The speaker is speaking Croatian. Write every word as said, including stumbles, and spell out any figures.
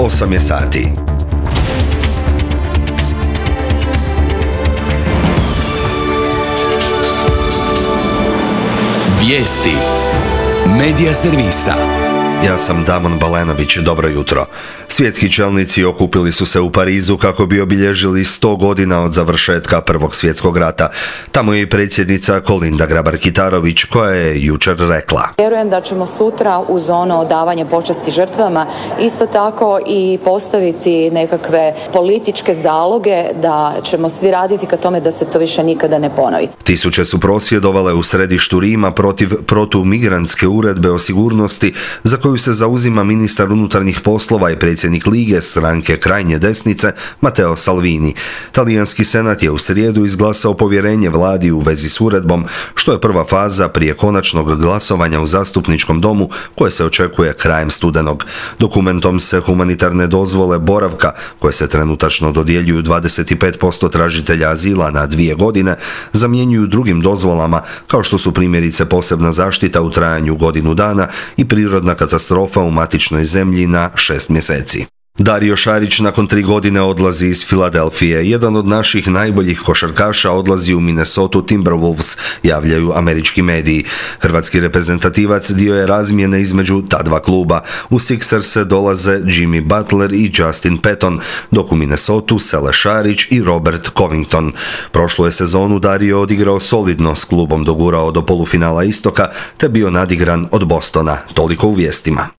osam je sati. Vijesti Medija servisa. Ja sam Damon Balenović, dobro jutro. Svjetski čelnici okupili su se u Parizu kako bi obilježili sto godina od završetka Prvog svjetskog rata. Tamo je i predsjednica Kolinda Grabar-Kitarović koja je jučer rekla: Vjerujem da ćemo sutra uz ono odavanje počasti žrtvama isto tako i postaviti nekakve političke zaloge da ćemo svi raditi ka tome da se to više nikada ne ponovi. Tisuće su prosvjedovale u središtu Rima protiv protumigrantske uredbe o sigurnosti za koju se zauzima ministar unutarnjih poslova i predsjednik Lige stranke krajnje desnice Matteo Salvini. Talijanski senat je u srijedu izglasao povjerenje vladi u vezi s uredbom, što je prva faza prije konačnog glasovanja u zastupničkom domu koje se očekuje krajem studenog. Dokumentom se humanitarne dozvole boravka, koje se trenutačno dodjeljuju dvadeset pet posto tražitelja azila na dvije godine, zamjenjuju drugim dozvolama kao što su primjerice posebna zaštita u trajanju godinu dana i prirodna katastrofa u matičnoj zemlji na šest mjeseci. Dario Šarić nakon tri godine odlazi iz Filadelfije. Jedan od naših najboljih košarkaša odlazi u Minnesota Timberwolves, javljaju američki mediji. Hrvatski reprezentativac dio je razmjene između ta dva kluba. U Sixerse dolaze Jimmy Butler i Justin Patton, dok u Minnesota sele Šarić i Robert Covington. Prošlu je sezonu Dario odigrao solidno, s klubom dogurao do polufinala Istoka te bio nadigran od Bostona. Toliko u vijestima.